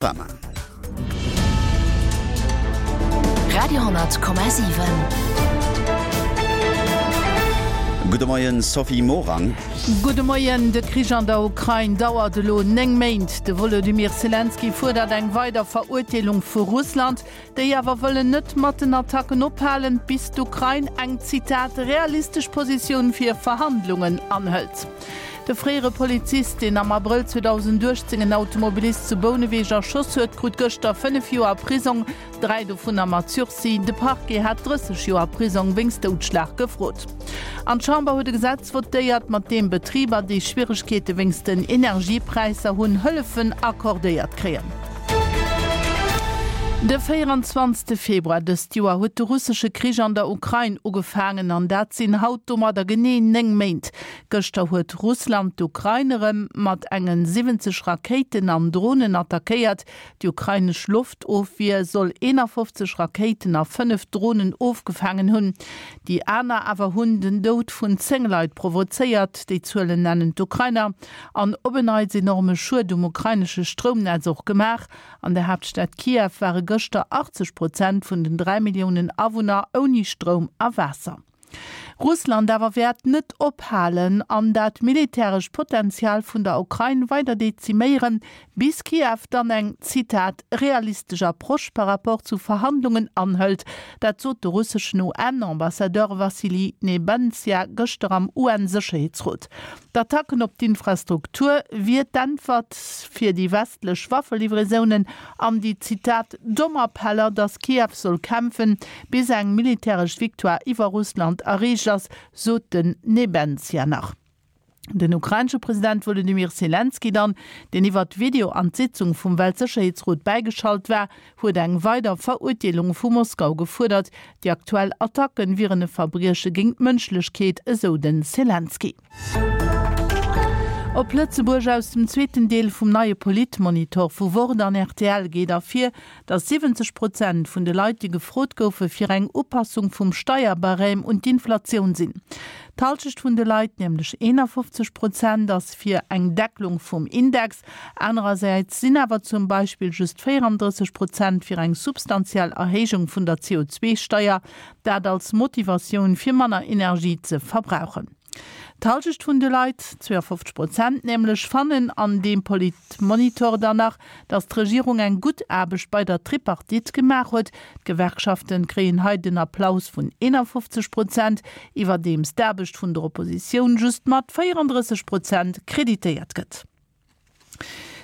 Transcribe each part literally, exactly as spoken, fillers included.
Panorama. Radio honnert Komma siwen. Gudde Moien Sophie Morang. Gudde Moien, De Krich an der Ukrain dauert elo néng Méint. De Wolodymyr Selenskyj fuerdert eng weider Verurteelung vu Russland. Déi awer wëllen net mat den Attacken ophalen, bis d'Ukrain eng, Zitat, realistesch Positioun fir Verhandlungen anhëlt. De fréiere Polizist, deen am Abrëll zweedausenduechtzéng en Automobilist zu Bouneweg erschoss huet, krut gëschter fënnef Joer Prisong, dräi dovunner mat Sursis. De Parquet hat drësseg Joer Prisong wéinst Doudschlag gefrot. An d'Chamber huet e Gesetz votéiert, mat deem Betriber, déi Schwieregkeete wéinst den Energiepräisser hunn, Hëllefen accordéiert kréien. De véieranzwanzegste Februar dëst Joer huet de russesche Krich an der Ukrain ugefaangen an dat sinn haut domadder genee néng Méint. Gëschter huet Russland d'Ukrain erëm mat enge siwwenzeg Rakéiten an Dronen attackéiert. Déi ukrainesch Loftofwier soll eenafofzeg Rakéiten a fënnef Dronen ofgefaangen hunn. Déi aner awer hunn den Doud vun zéng Leit provozéiert. Déi Zuelen nennen d'Ukrainer. An op en Neits enorme Schued um ukrainesche Stroumnetz och gemaach. An der Haaptstad Kiew ware gëschter achtzeg Prozent vun den dräi Milliounen Awunner ouni Stroum a Waasser. Russland awer wäert net ophalen an dat militärescht Potenzial vun der Ukrain weider deziméieren, bis Kiew dann eng, Zitat, realistesch Approche par rapport zu Verhandlungen anhëlt. Dat sot de russeschen U N-Ambassadeur Wassili Nebenzia gëschter am U N-Sécherheetsrot. D'Attacken op d'Infrastruktur wier d'Äntwert fir déi westlech Waffelivraisonen an déi, Zitat, domm Appeller, datt Kiew soll kämpfen, bis eng militäresch Victoire iwwer Russland erreecht ass, sot den Nebenzia nach. Den ukrainesche President Wolodymyr Selenskyj dann, deen iwwert Video an d'Sitzung vum Weltsécherheetsrot bäigeschalt war, huet eng weider Verurteelung vu Moskau gefuerdert. Déi aktuell Attacke wieren e Verbrieche géint d'Mënschlechkeet, esou den Selenskyj. Op Lëtzebuerg Aus dem zweeten Deel vum neie Politmonitor vu Wort an R T L geet ervir, datt siwwenzeg Prozent vun de Leit, déi gefrot goufe fir eng Upassung vum Steierbarème un d'Inflatioun sinn. D'Hallschecht vun de Leit, nämlech eenafofzeg Prozent, ass fir eng Deckelung vum Index. Anerersäits sinn awer zum Beispill just véierandrësseg Prozent fir eng substantiell Erhéijung vun der C O zwei Steier, dat als Motivatioun fir manner Energie ze verbrauchen. D'Hallschecht vun de Leit, zweeafofzeg Prozent nämlech, fannen an deem Politmonitor dann nach, datt d'Regierung eng gutt Aarbecht bei der Tripartite gemaach huet. D'Gewerkschaften kréien hei den Applaus vun eenafofzeg Prozent, iwwerdeems d'Aarbecht vun der Oppositioun just mat véierandrësseg Prozent kreditéiert gëtt.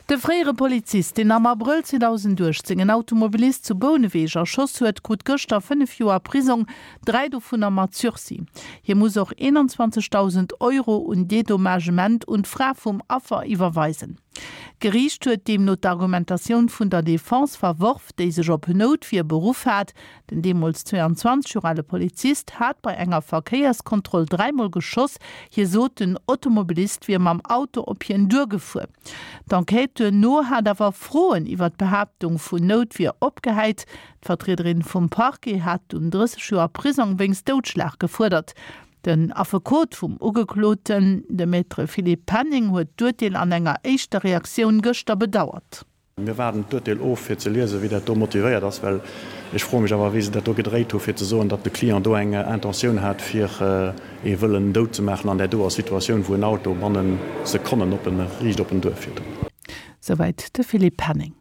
De fréiere Polizist, deen am Abrëll zweedausenduechtzéng en Automobilist zu Bouneweg erschoss huet, krut gëschter fënnef Joer Prisong, dräi dovunner mat Sursis. Hie muss och eenanzwanzegdausend Euro un Dedommagement un d'Fra vum Affer iwwerweisen. D'Geriicht huet deemno d'Argumentatioun vun der Defense verworf, déi sech op Noutwier beruff hat. Den deemools zweeanzwanzeg Joer ale Polizist hat bei enger Verkéierskontroll dräimol geschoss. Hie sot, den Automobilist wier mam Auto op hien duergefuer. D'Enquête duerno hat awer Froen iwwer d'Behaaptung vun Noutwier opgehäit. D'Vertriederin vum Parquet hat dunn drësseg Joer Prisong wéinst Doudschlag gefuerdert. Den Affekot vum Ugekloten, de Maître Philippe Penning, huet d'Urteel an enger éischter Reaktioun gëschter bedauert. Mir waarden d'Urteel of, fir ze liesen, wéi dat do motivéiert ass, well ech froe mech awer, wéi se dat do gedréit hu fir ze soen, datt de Client do eng Intentioun hat, fir ee wëllen dout ze maachen an där doer Situatioun, wou en Auto bannen Sekonnen op en, riicht op en duerfiert. Souwäit de Philippe Penning.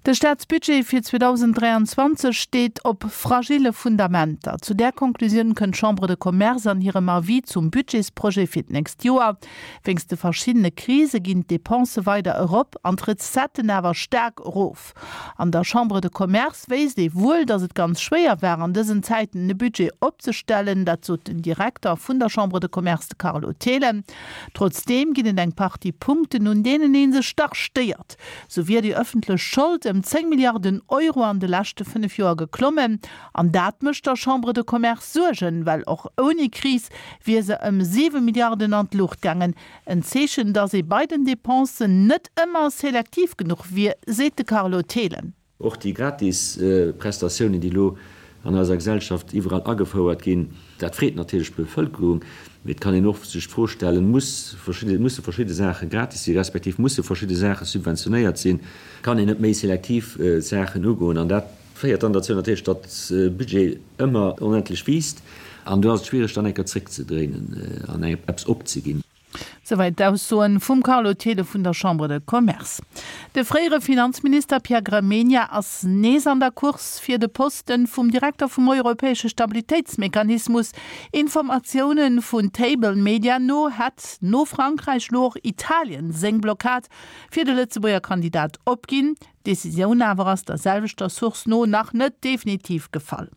De Staatsbudget fir zweedausenddräianzwanzeg steet op fragille Fundamenter. Zu där Konklusioun kënnt d'Chambre de Commerce an hirem Avis zum Budgetsprojet fir d'nächst Joer. Wéinst de verschiddene Krise ginn d'Depensë weider erop an d'Recetten awer staark erof. An der Chambre de Commerce wéisst ee wuel, datt et ganz schwéier war an dësen Zäiten e Budget opzestellen, dat sot den Direkter vun der Chambre de Commerce, de Carlo Thelen. Trotzdeem ginn et eng Partie Punkten, un deenen ee sech dach stéiert. Sou wier déi ëffentlech Schold ëm zéng Milliarden Euro an de leschte fënnef Joer geklommen. An dat mécht der Chambre de Commerce Suergen, well och ouni Kris wier se ëm siwe Milliarden an d'Luucht gaangen. En Zeechen, datt ee bei den Depensen net ëmmer selektiv genuch wier, seet de Carlo Thelen. Och déi gratis Prestatiounen, déi elo an eiser Gesellschaft iwwerall agefouert ginn, dat freet natierlech d'Bevëlkerung, Mee et kann een och sech d'Fro stellen, Muss verschidde, musse verschidde Saache gratis sinn, respektiv musse verschidde Saache subventionéiert sinn? Kann een net méi selektiv Saachen ugoen? An dat féiert dann derzou natierlech, datt de Budget ëmmer onendlech wiisst. An do ass et schwiereg, dann eng Kéier zréckzedréinen an eppes opzeginn. Souwäit d'Aussoen vum Carlo Thelen vun der Chambre de Commerce. De fréiere Finanzminister Pierre Gramegna ass nees an der Course fir de Posten vum Direkter vum europäesche Stabilitéitsmechanismus. Informatioune vun Table Media no hätt no Frankräich lo och Italien seng Blockad fir de Lëtzebuerger Kandidat opginn. D'Decisioun awer ass der selwechter Source no nach net definitiv gefall.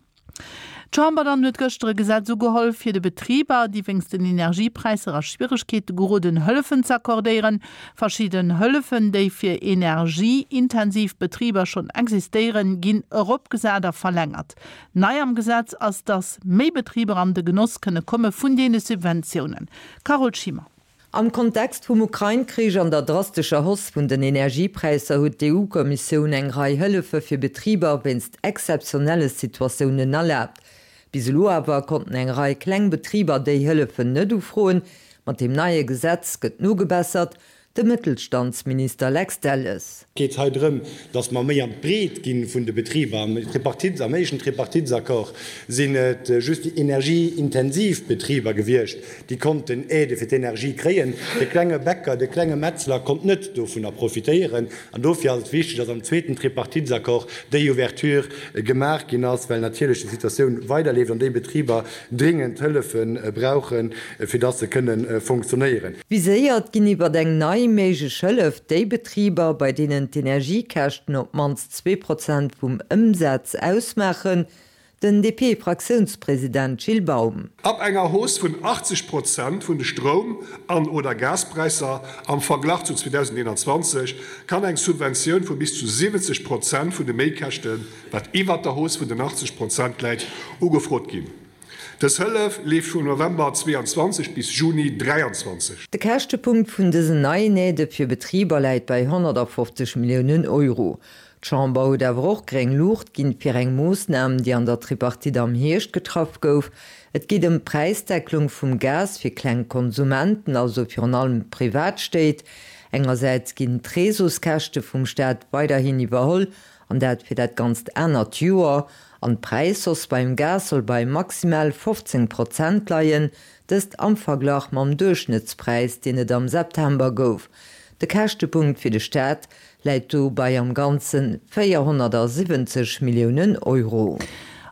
D'Chamber dann huet gëschter e Gesetz ugeholl, fir de Betriber, déi wéinst den Energiepräisser a Schwieregkeete geroden, Hëllefen z'accordéieren. Verschidden Hëllefen, déi fir energieintensiv Betriber schonn existéieren, ginn eropgesat a verlängert. Nei am Gesetz ass, dass méi Betriber an de Genoss kënne komme vun deene Subventiounen. Carole Schimmer. Am Kontext vum Ukrain-Krich an der drastescher Hausse vun den Energiepräisser huet d'EU-Kommissioun eng Rei Hëllefe fir Betriber wéinst exzeptionelle Situatiounen erlaabt. Bis elo awer konnten eng Rei kleng Betriber déi Hëllefen net ufroen. Mat deem neie Gesetz gëtt nogebessert. De Mëttelstandsminister Lex Delles. Et geet hei drëm, datt mer méi an d'Breet gi vun de Betriber. Am Tripartite, am éischten Tripartitesaccord sinn et just déi energieintensiv Betriber gewiescht, déi konnten Aidë fir d'Energie kréien. De klenge Bäcker, de klenge Metzler konnt net dovunner profitéieren. An dofir ass et wichteg, datt am zweeten Tripartitesaccord déi Ouverture gemaach ginn ass, well natierlech déi Situatioun weiderleeft an déi Betriber dringend Hëllefe brauchen, fir datt se kënne fonctionnéieren. Viséiert ginn iwwer eng nei méiglech Hëllef déi Betriber, bei deenen d'Energiekäschten op d'mannst zwee Prozent vum Ëmsaz ausmaachen, den D P-Fraktiounspresident Gilles Baum. Ab enger Hausse vun achtzeg Prozent vun de Stroum an oder Gaspräisser am Verglach zu zweedausendeenanzwanzeg kann eng Subventioun vu bis zu siwwenzeg Prozent vun de Méikäschten, wat iwwert der Hausse vun den achtzeg Prozent läit, ugefrot ginn. Dës Hëllef leeft vun November zweeanzwanzeg bis Juni dräianzwanzeg. De Käschtepunkt vun dësen neien Aidë fir Betriber läit bei honnertafofzeg Milliounen Euro. D'Chamber huet awer och gréng Luucht ginn fir eng Moossnam, déi an der Tripartite am Hierscht getraff gouf. Et geet ëm d'Präisdecklung vum Gas fir kleng Konsumenten, also virun allem Privatstéit. Engersäits ginn d'Réseauskäschte vum Staat weiderhin iwwerholl, an dat fir dat ganzt anert Joer. An d'Präishausse beim Gas soll bei maximal fofzéng Prozent leien, dëst am Verglach mam Duerchschnëttspräis, deen et am September gouf. De Käschtepunkt fir de Staat läit do bei am Ganze véierhonnertasiwwenzeg Milliounen Euro.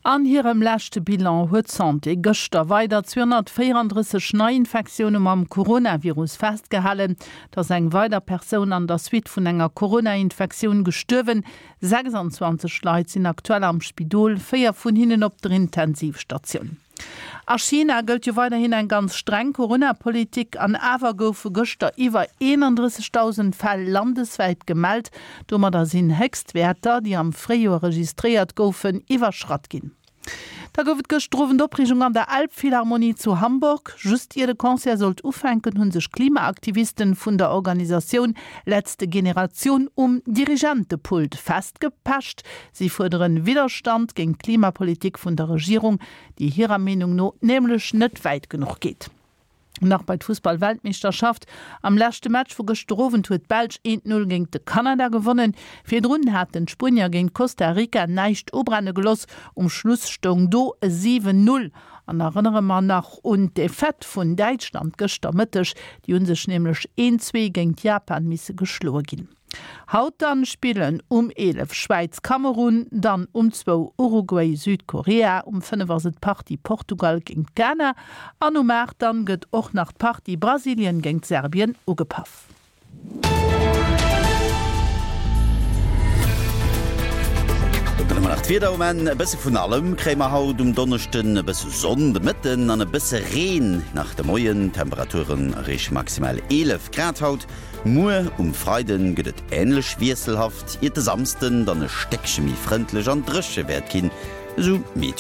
An hirem leschte Bilan huet d'Santé gëschter weider zweehonnertvéierandrësseg Neiinfektioune mam Coronavirus festgehalen. Et ass eng weider Persoun an der Suite vun enger Corona-Infektioun gestuerwen. sechsanzwanzeg Leit sinn aktuell am Spidol, véier vun hinnen op der Intensivstatioun. A China gëllt jo weiderhin eng ganz streng Corona-Politik an awer goufe gëschter iwwer eenandrëssegdausend Fäll landeswäit gemellt. Domadder sinn Héchstwäerter, déi am Fréijoer registréiert goufen, iwwerschratt ginn. Da gouf et gëschter Owend Opreegung an der Elbphilharmonie zu Hamburg. Just ier de Concert sollt ufänken, hu sech Klimaaktivisten vun der Organisatioun Letzte Generation um Dirigentepult festgepecht. Si fuerderen Widderstand géint d'Klimapolitik vun der Regierung, déi hirer Meenung no nämlech net wäit genuch geet. Nach bei d'Fussball-Weltmeeschterschaft, Am leschte Match vu gëschter Owend huet d'Belsch eent Null géint de Kanada gewonnen. Virdrun haten d'Spuenier géint Costa Rica näischt ubrenne geloss, um Schluss stoung do e siwen Null. An erënnere mer nach un d'Defaite vun Däitschland gëschter Mëtteg, déi hu sech nämlech een Zwee géint Japan misse geschloe ginn. Haut dann spillen um eelef Schwäiz, Kamerun, dann um zwou Uruguay, Südkorea, um fënnef ass et d'Partie Portugal géint Ghana an um aacht dann gëtt och nach d'Partie Brasilien géint Serbien ugepaff. Dann hu mer nach d'Wieder um Enn. E bësse vun allem kréie mer haut um Donneschden, e bësse Sonn de Mëtten an e bësse Reen nach de Moien. D'Temperaturen erreeche maximal eelef Grad haut. Muer um Freide gëtt et änlech wiesselhaft, iert de Samsden dann e Stéckche méi frëndlech an dréche wäert ginn, esou Meteolux.